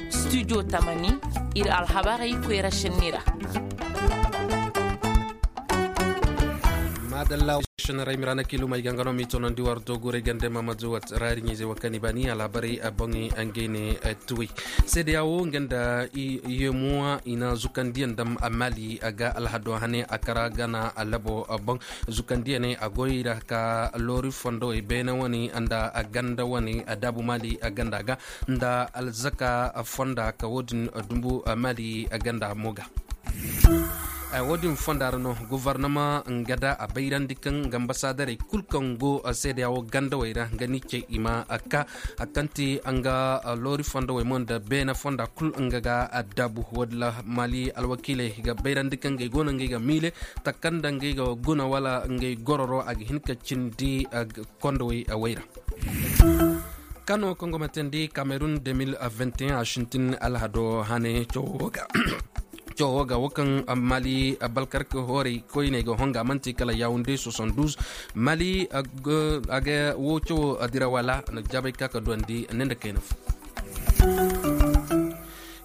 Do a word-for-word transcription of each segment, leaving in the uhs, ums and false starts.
Studio tamani, ir alhabarey koyra šenni ra. Maadalla. Šenni ra ay mira na kiilumey ga nga no m'i toonandi war dooguray gande mamadu wat raari ɲayzey wa kani baani alhabarey boŋey ngey ne. Tuwey seede ya wo nga nda yeemuwa i na zukandiyaŋ dam maali ga alhado hane a kara gana labo boŋ. Zukandiyaney a goy ra ka loori fondowey beene wane nda ganda wane daabu maali ganda ga nda alzaka fonda ka wo-din dumbu maali ganda mo ga. Wo-din fonda ra no gofornama nga da a bayrandi kaŋ nga ambasadarey kul kaŋ go seede ya wo gandawey ra nga ni ce i ma ka a kaŋ ti nga loori fondowey mo nda beene fonda kul nga ga a daabu wo-din ra maali alwakiiley ga bayrandi kaŋ ngey go no ngey ga miile taka nda ngey ga guna wala ngey gororo a ga hin ka cindi kondowey wayra. Kano kaŋ go ma teendi kamerun deux mille vingt et un a sintin alhado hane cawoo ga wo kaŋ maali balkarka hoorey koyney ga honga man'ti kala yawunde soixante-douze. Maali a ga wo cawoo dira wala na jaabay ka ka duwandi ne nda kayna fo.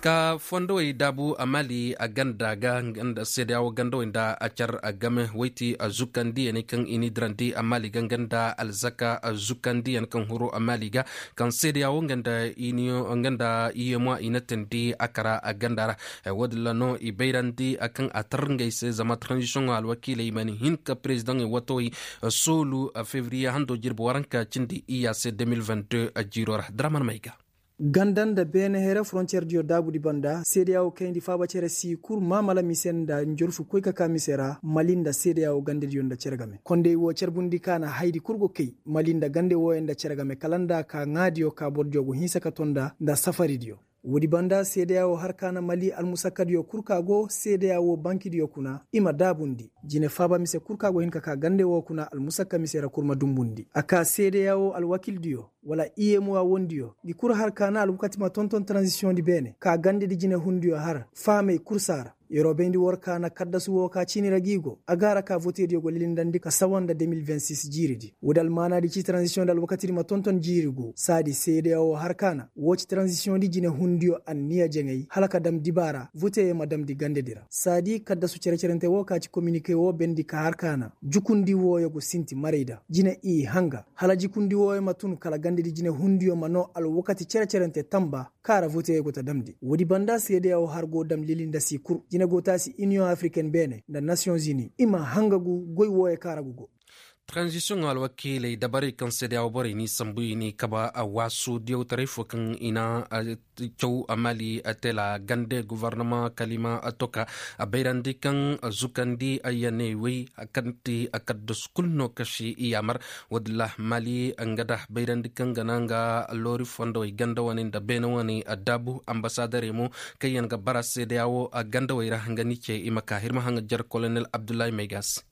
Ka fondowey daabu a maali a ganda ga nga nda seede ya wo gandawey nda a car a game woy ti a zukandiyaney kaŋ i n'i dirandi a maali ga nga nda alzaka a zukandiyan kaŋ huru a maali ga kaŋ seede ya wo nga nda i yeemuwa i na teendi a kara a ganda ra. Wo-din ra no i bayrandi a kaŋ a tar ngey se zama tranzisiyoŋo alwakiiley mana hin ka perezidaŋey watowey soolu fevriye hando jirbi waranka cindi iyya se deux mille vingt-deux jiiro ra draman may ga. Ganda nda beene here forontiyer diyo daabudi banda seede ya wo kayndi faaba cere si kul maamala mise nda njorfu koy ka ka mise ra mali nda seede ya wo gandediyo nda cere game kondey wo carbundi ka na haydi kul go kay mali nda gande wooyo nda cere game kala nda ka ŋaadiyo ka bordiyo go hinsa ka to nda nda safaridiyo. Woodi banda seede ya wo har ka na mali almusakkadiyo kul ka go seede ya wo bankidiyo kuna i ma daabundi jine faaba mise kul ka go hin ka ka gande woo kuna almusakka mise ra kul ma dumbundi a ka seede ya wo alwakildiyo wala iyemuwa wondiyo ngi kul har ka na alwakati ma tonton taranzisiyoŋdi beene ka gandedi jinehundiyo har faamey kul saa ra. Yeroo bayndi war ka na kaddasu woo ka ciini ra g'i go a ga a ra ka votediyo go lilindandi ka sawa nda deux mille vingt-six jiiridi woodi almaanaadi ci taranzisiyoŋdi alwakatidi ma tonton jiiri go saadi seedeya woo har ka na woo ci taranzisiyoŋdi jinehundiyo anniya jaŋay hala ka dam dibaara voteyo ma damndi gandedi ra saadi kaddasu cere-cerente woo ka ci kominike woo bendi ka har ka na jukundi wooyo go sinti marayda jine i hanga hala jukundi wooyo ma tun kala gandedi jinehundiyo ma noo alwakati cere-cerente tamba kaŋ a ra voteyo go ta damndi woodi banda seedeya woo har go dam lili nda si kul jine go taasi iniyoŋ afiriken beene nda nasiyoŋ zini i ma hangagu goy wooyo kaŋ a ra go go. Taranzisiyoŋo alwakiiley dabarey kaŋ seedeya woo borey n'i sambu i n'i kaba a waasu diyawtaray fo kaŋ i na caw a maali tela gande gofornama kalima toka a bayrandi kaŋ zukandi a yaney wey kaŋ ti a kaddasu kul no kasi i yaamar. Woodin ra maali nga da bayrandi kaŋ ga na nga loori fondowey ganda wane nda beene wane a daabu ambasadarey mo kaŋ yaŋ ga bara seedeya woo gandawey ra nga ni ce i ma ka hirma haŋajer kolonel abdullahi maygas.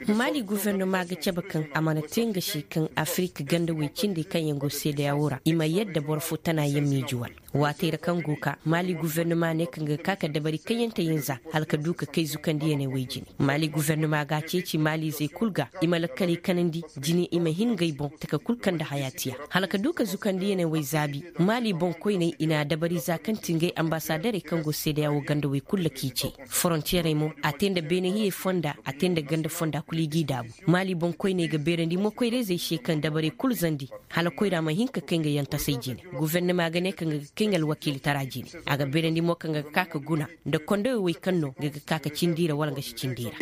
Maali gufernoma ga cabe kaŋ a mana te nga se kaŋ afirik gandawey cindey kaŋ yaŋ go seedeya woo ra i ma yadda boro fo tana yaŋ m'i juwal. Waatey ra kaŋ go ka maali gufernoma ne kaŋ ga ka ka dabari kaŋ yaŋ te yaŋ za hala ka du ka kay zukandiyaney wey jine. Maali gufernoma ga a ceeci maalizey kul ga i ma lakkaley kanandi jine i ma hin ngey boŋ taka kul kaŋ nda hayaatiya hala ka du ka zukandiyaney wey zaabi. Maali boŋkoyney i na a dabari za kaŋ ti ngey ambasadarey kaŋ go seedeya woo gandawey kul ra k'i cey. Forontiyeerey mo a te nda beenehiyey fonda a te nda ganda fonda kul i g'i daabu. Maali boŋkoyney ga beerandi mo koyra-izey se kaŋ dabarey kul zandi hala koyra ma hin ka kay nga yaŋ tasay jine. Gufernoma ga ne kaŋ ga ga kay nga alwakiilitara jine. A ga beerandi mo kaŋ ga ga ka ka guna nda kondowey wey kaŋ no ga ga ka ka cindi i ra wala nga si cindi i ra.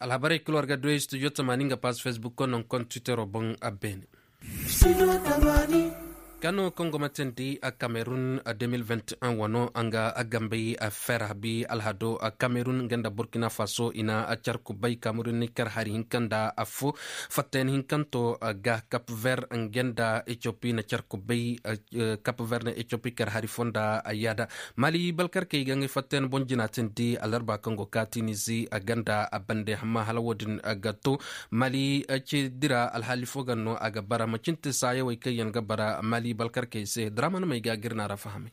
Alhabarey kul war ga duwey studio tamaani nga paas fesbukko naŋ kontitero boŋ a beene. Kano kaŋ go ma teendi a kamerun deux mille vingt et un wano a nga a gambey a fer habi alhado a kamerun nga nda burkina faso i na a car kubay kamerun ni kar hari hinka nda affo fattayan hinkanto ga kap ver nga nda etiopi na car kubay. Kap ver na etiopi kar hari fo nda a yaada. Mali balkarkey ga ngey fattayan boŋ jina teendi alarba kaŋ go ka tinizi a ganda a bande hamma hala wo-din ga to. Mali ce dira alhaali fo ga no a ga bara macinte saayawey kaŋ yaŋ ga bara mali balkarkey se draman may ga gir na ra fahamay.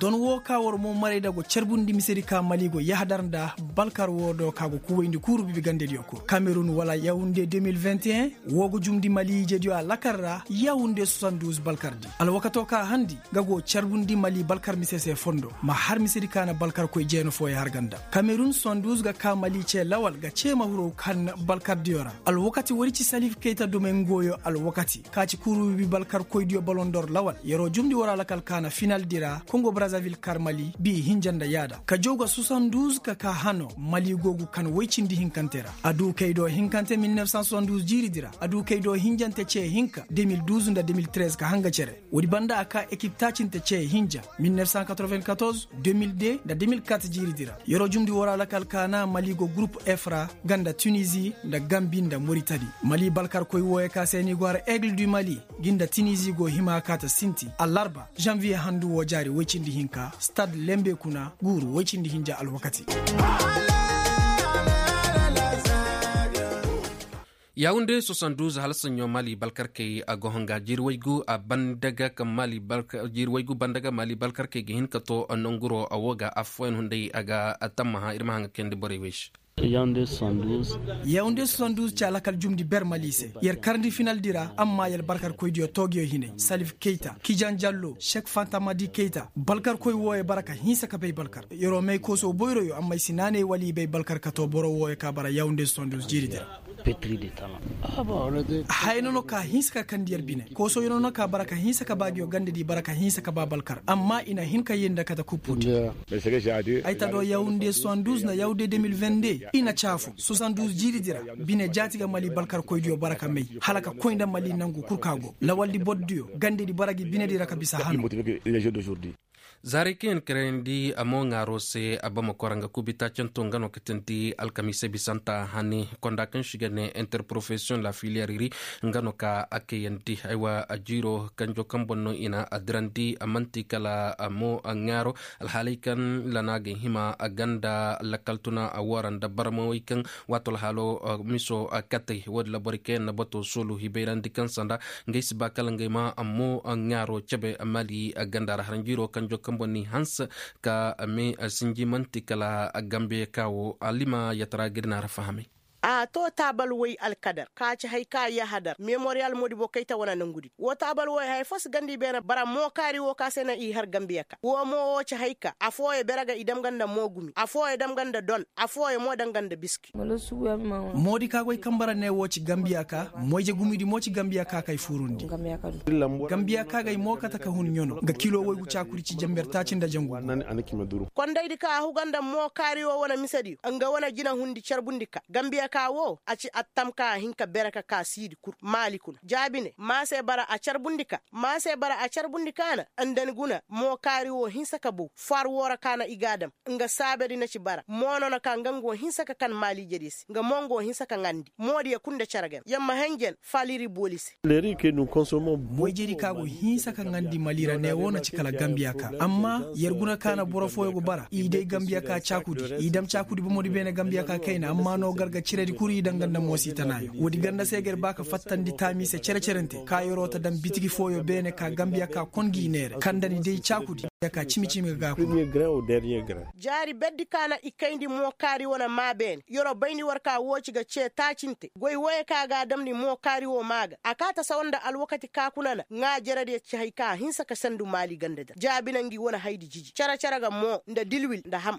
ton woo ka war mo maray da go carbundi misedi ka mali go yahadar nda balkar woo do ka go kuwayndi kuuru bibi gandediyo kul kamerun wala yawunde deux mille vingt et un woo go jumndi mali ijediyo alakal ra yawunde soixante-douze balkar di alwakato ka handi nga go carbundi mali balkar mise se fondo ma har misedi ka na balkarkoy jeena fooyo har ga nda kamerun soixante-douze ga ka mali cee lawal ga cee ma huru kan balkardiyo ra alwakati woodi ci salif kayta dumey ngooyo alwakati ka ci kuuru bibi balkarkoydiyo balondor lawal yer'o jumndi war alakal ka na finaldi ra kongo brazavil kar mali bi hinja nda yaada ka jaw ga soixante-douze ka ka hano mali go gu kan woy cindi hinkante ra a du kay do hinkante mil neuf cent soixante-douze jiiridi ra a du kay do hinjante cee hinka deux mille douze nda deux mille treize ka hanga cere woodi banda a ka ekip taacinte cee hinja mil neuf cent quatre-vingt-quatorze deux mille deux nda deux mille quatre jiiridi ra yer'o jumndi war alakal ka na mali go gurup f ra nga nda tunizi nda gambi nda moritani mali balkarkoy wooyo ka se ni go har aigle du mali gi nda tinizi go hima ka ta sinti allarba janviye handu woo jaari woy cindi hinka stad lembe kuna guuru woy cindi hinja alwakati. Yawunde soixante-douze hala saɲɲo mali balkarkey a go hanga jiiri waygu a banda ga kaŋ mali balka jiiri waygu banda ga mali balkarkey ga hin ka to nanguro a wo ga affooyaŋ hunday a ga tammaha ir ma haŋ ga kayandi borey wey se. Yawunde soixante-douze. Yawunde soixante-douze ci alakal jumndi ber mali se yer karndi finaldi ra amma yer balkarkoydiyo toogiyo hinay salif keyta kijan jallo sek fantamadi keyta balkarkoy wooyo bara ka hinsa ka bay balkar yer'o may kooso boyroyo amma ay si naanay wala i bay balkar ka to boro wooyo ka bara yawunde soixante-douze jiiridi ra. Haya no no ka hinsa ka kandi yer bine koosoyo no no ka bara ka hinsa ka ba ngiyo gandedi bara ka hinsa ka ba balkar amma i na hin ka yee nda kate kupputi. Ay ta do yawunde soixante-douze nda yawunde deux mille vingt-deux i na caafu soixante-douze jiiridi ra bine jaati ga mali balkarkoydiyo bara ka may hala ka koy nda mali nangu kul ka go lawaldi bordiyo gandedi bara gi binedi ra ka bisa hano. Zaaray kaŋ yaŋ na karayandi a mo ŋaaro se a bama kora nga kubi taacanto nga no ka tindi alkamiisa bisanta hani konda kaŋ se i ga ne interprofesiyoŋ la filiyar iri nga no ka a kayandi aywa a jiiro kanjo kaŋ boŋ no i na a dirandi a man'ti kala a mo ŋaaro alhaalay kaŋ lana ga hima a ganda lakkal tuna a woo ra nda barmawey kaŋ waato alhaalo miso katey wo- din ra borey kaŋ yaŋ na bato soolu hibayrandi kaŋ sanda ngey si ba kala ngey ma mo ŋaaro cabe mali ganda ra haranjiiro kanjo kaŋ boŋ ni hanse ka me sinji man'ti kala gambe ka wo alima yatara ga ir na ra fahamay. A to taabal way alkadar ka ci hay ka yahadar memoriyal modibo kayta wane nangudi wo taabal way haya fo si ganda i beene bara mookaari wo ka se na i har gambiya ka wo mo wo ci hay ka afooyo bere ga i dam ga nda moogumi afooyo dam ga nda don afooyo mo dam ga nda biski. Moodi ka goy kaŋ bara ne wo ci gambiya ka moyje gumidi mo ci gambiya ka kay furundi. Gambiya ka gay mo kate ka hun ɲono nga kilo woygu caakudi ci jamber taaci nda jangu. Kondaydi ka a huga nda mookaari wo wane misediyo nga wane jinahundi carbundi ka gambiya ka wo a ci attam ka a hin ka bere ka ka siidi kul maali kuna jaabi ne maa se bara a carbundi ka maa se bara a carbundi ka na nda ni guna mookaari wo hinsa ka bow faar wo ra ka na i ga a dam nga saabedi na ci bara mo no na ka nga nga wo hinsa ka kan maali jediyo se nga mo nga wo hinsa ka ŋandi moodiyo kul nda cere game yer ma henjen faaliri booli se. Moy jedi ka go hinsa ka ŋandi mali ra ne wo na ci kala gambiya ka amma yer guna ka na boro fooyo go bara i day gambiya ka caakudi i dam caakudi bomodi beene gambiya ka kayna amma no gar ga ciredi kul i danga nda moosi tanaayo woodi ganda se ga yer ba ka fattandi taami se cere-cerente ka yer'o ta dam bitigi fooyo beene ka gambiya ka kon gi neere kandani day caakudi ka cimi-cimi ga ga kuna. Jaari berdi ka na i kayndi mookaari wane maa beene yer'o bayndi war ka woo ci ga cee taacinte goy woyey ka ga a damndi mookaari woo maa ga a kaa ta sawa nda alwakati ka kuna na ŋaa jerediyo ci hay ka a hinsa ka sendu maali ganda dira jaabi na ngi wane haydi jiji cere-cere ga moo nda dilwil nda ham.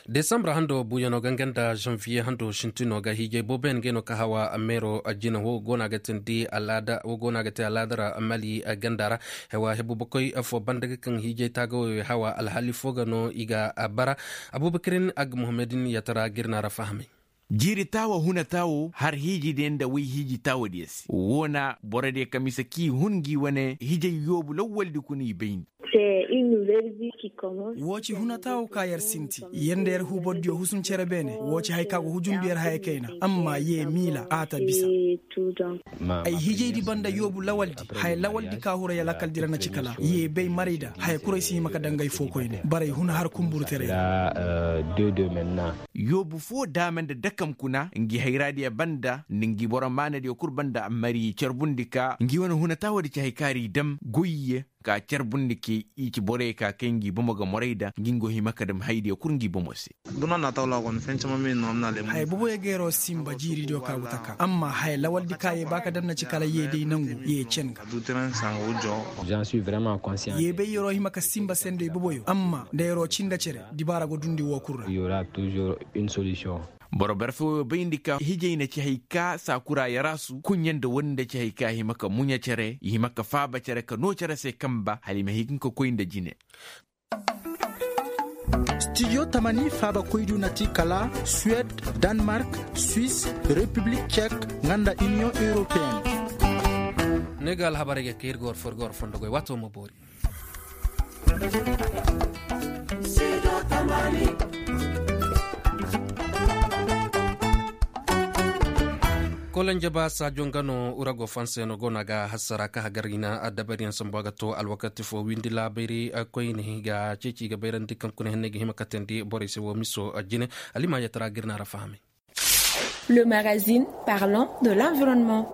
Desambur hando buuyanoo ga nga nda zanviye hando sintinoo ga hiijay booboyaŋ ngey no ka hawa meeroo jina wo go no a ga teendi alaada wo go no a ga tee alaada ra mali ganda ra. Hewa hebu bakoy foo banda ga kaŋ hiijay taagawey hawa alhaali foo ga no i ga bara. Abuubakarin agga muhammadin yatara ga ir na ra fahamay. Jiiri taawa huna taawo har hiiji diyaŋ nda woy hiiji taawa diyaŋ se woo na borodiyo ka mise k'i hun ngi wane hiijay yoobu lawwaldi kuna i bayndi. Woo ci huna taawo ka yer sinti yer nda yer huubordiyo husun cere beene woo ci haya ka go hujundu yer haya kayna amma yee miila a ta bisa. Ay hijaydi banda yoobu lawaldi haya lawaldi ka hura yalakal dira na ci kala yee bay marayda haya kuray si hima ka dangay foo koyne baray huna har kumburtaray ra. Yoobu foo daama nda dakam kuna ngi hayraadiyo banda nda ngi boro maanadiyo kul banda mari carbundi ka ngi wane huna taawadi ci hay kaari dam goyye. ka carbundi ke i ci borey ka kay ngi bomo ga moray da ngi ngo hima ka dam haydiyo kul ngi bomo se. Haya boboyo ga yeroo simba jiiridiyo ka go taka amma haya lawaldi ka yee ba ka dam na ci kala yee day nangu yee cen ga. Yee bay yeroo hima ka simba sendoy boboyo amma nda yeroo cin nda cere dibaara go dundi woo kul ra. Boro barfo bayndi ka hijay na ci hay ka saakura yaraasu kuɲɲa nda wani nda ci hay ka hima ka muɲa cere i hima ka faaba cere ka noo cere se kanba hala i ma hin ka koy nda jine. Studio tamani faabakoydiyo na ti kala suwed, danmark, swis, repiblik cek, nga nda iniyoŋ europeen. Ne ga alhabarey ga kay ir ga war fo ir ga war fondo goy waato ma boori. Kolonje ba saajo nga no ura go fanse no go no a ga hasara ka hagar i na addabaryaŋ sambu a ga to alwakati fo windi laabayri koyne ga ceeci ga bayrandi kaŋ kuna henney ga hima katandi borey se wo miso jine. Alima yatara ga ir na ra fahamay. Le magazine parlant de l'environnement.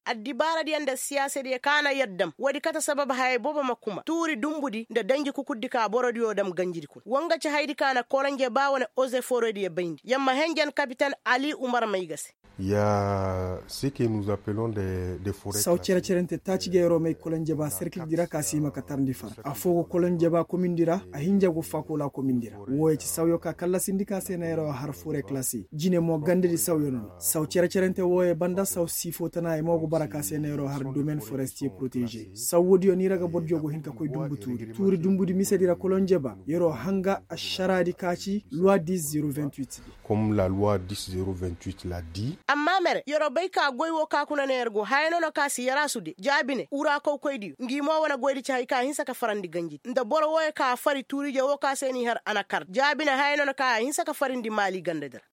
Addibaaradiyo nda siyaasadiyo ka na yaddam woodi kate sabab hayey boobo ma kuma tuuri dumbudi nda danji kukurdi ka borodiyo dam ganjidi kuna wa nga ci haydi ka na kolonje ba wane ozeforediyo bayndi yamma henjen kapitan ali umar may ga se. Ya ce que nous appelons des forêts. Saw cere-cerente taaci ga yeroo may kolonje ba serkildi ra ka si hima ka tarndi far afoo go kolonje ba komindi ra a hinja go fakola komindi ra. Wooyo ci sawyo ka kallasindi ka se na yeroo har fure kalasi jine mo gandedi sawyo no no. Saw cere-cerente wooyo banda saw siifo tana i mo go bara ka se na yeroo har domaine forestier protégé saw woodiyo ni ra ga bordiyo go hin ka koy dumbu tuuri tuuri dumbudi misedi ra kolonje ba yeroo hanga ašaraadi ka ci loi dix zero vingt-huit di. Comme la loi dix zero vingt-huit la di. Amma mere yeroo bay ka goy woo ka kuna ne yer go haya no no ka si yaraasu de jaabi ne ura kawkoydiyo ngi mo wane goydi ci hay ka hinsa ka farandi ganjidi nda boro wooyo ka fari tuurije woo ka se n'i har anakar jaabi ne haya no no ka a hinsa ka farindi maali gandadi ra.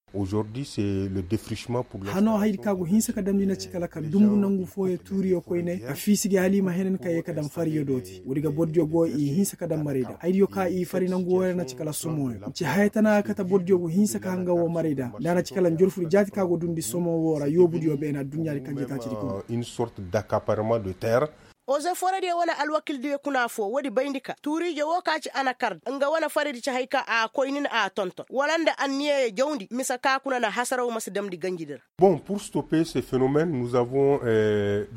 Hanoo haydi ka go hinsa ka damndi na ci kala ka dumbu nangu fooyo tuuriyo koyney a fiisi gi hala i ma henan ka yee ka daŋ fariyo dooti woodi ga bordiyo go i hinsa ka daŋ marayda haydiyo ka i fari nangu wooyo na ci kala somoyo. Ci haya tana ga kate bordiyo go hinsa ka hanga woo marayda nda a na ci kala njorfudi jaati ka go dundi somo woo ra yoobudiyo beene adduɲɲaadi kanje taacidi kuna. Une sorte d'accaparement de terre. Ozeforediyo wane alwakildiyo kuna foo woodi bayndi ka tuuriije woo ka ci anakard nga wane faridi ci hay ka a koynin a tonton wala nda anniyeyo jawndi mise ka kuna na hasaraw ma si damndi ganjidi ra. Bon pour stopper ce phénomène nous avons.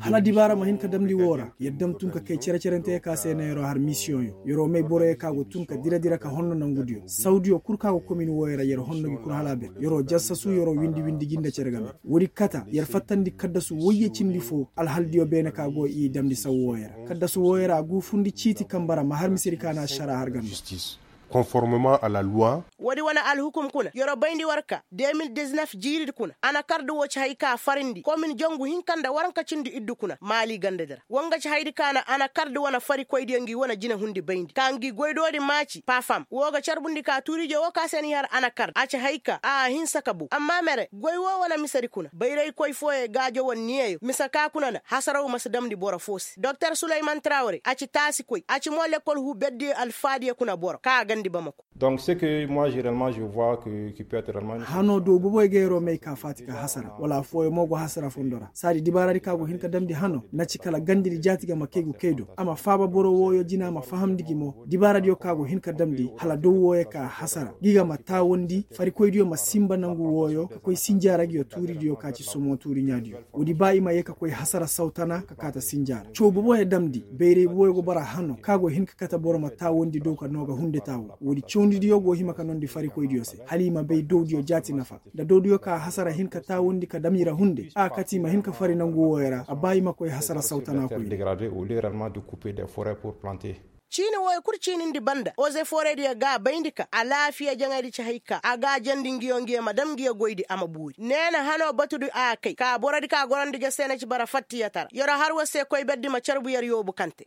Hala dibaara ma hin ka damndi woo ra yer dam tun ka kay cere-cerenteyo ka se na yeroo har misiyoŋyo yeroo may boroyo ka go tun ka dira-dira ka honno nangudiyo sawdiyo kul ka go komin wooyo ra yer honno gi kul hala a bir yeroo jassasu yeroo windi-windi gi nda cere game. Woodi kata yer fattandi kaddasu woyye cindi foo alhaldiyo beene ka go i damndi saw wooyo ra kaddasu wooyo ra a guufundi ciiti kamba ra ma har misedi ka na ašara har game. Conformement à la loi. Woodi wane alhukum kuna yeroo bayndi war ka deux mille dix-neuf jiiridi kuna anakard woo ci hay ka farindi komin jangu hinka nda waranka cindi iddu kuna maali gandadi ra wa nga ci haydi ka na anakard wane farikoydiyo ngi wane jinehundi bayndi ka ngi goydoodi maaci pafam woo ga carbundi ka tuuriije woo ka se n'i har anakard a ci hay ka a hinsa ka bow amma mere goy woo wane misedi kuna bayraykoy fooyo gaajo wane niyeyo mise ka kuna na hasaraw ma si damndi boro foo se doktor suleyman trawre a ci taasikoy a ci mo lekkol huu berdiyo alfaadiyo kuna boro ka a gandi bamako. Donc ce que moi je realement je vois que qui peut être realement. Hanoo do boboy ga yeroo may ka faati ka hasara wala affooyo mo go hasara fondo ra saadi dibaaradi ka go hin ka damndi hanoo na ci kala gandedi jaati ga ma kay go kay do a ma faaba boro wooyo jina ma fahamndi gi mo dibaaradiyo ka go hin ka damndi hala dow wooyo ka hasara gi ga ma taawandi farikoydiyo ma sinba nangu wooyo ka koy sinjaara ngiyo tuuridiyo ka ci somo tuuriɲaadiyo woodi ba i ma yee ka koy hasara saw tana ka kaata sinjaara caw boboyo damndi bayray boboyo go bara hanoo ka go hin ka kate boro ma taawandi dow ka noo ga hunde taawo woodi cawndidiyo go hima ka noondi farikoydiyo se hala i ma bay dowdiyo jaati nafa nda dowdiyo ka hasara hin ka taawandi ka dam i ra hunde a kate i ma hin ka fari nangu wooyo ra a ba i ma koy hasara saw tana koy. Ciini wooyo kul ciinindi banda ozeforediyo ga a bayndi ka alaafiya jaŋaydi ci hay ka a ga a jandi ngiyo ngiyo ma dam ngiyo goydi a ma buuri neena hanoo batudi a kay ka borodi ka gorandi ga se na ci bara fattiyatara yeroo har war se koyberdi ma carbu yer yoobu kante.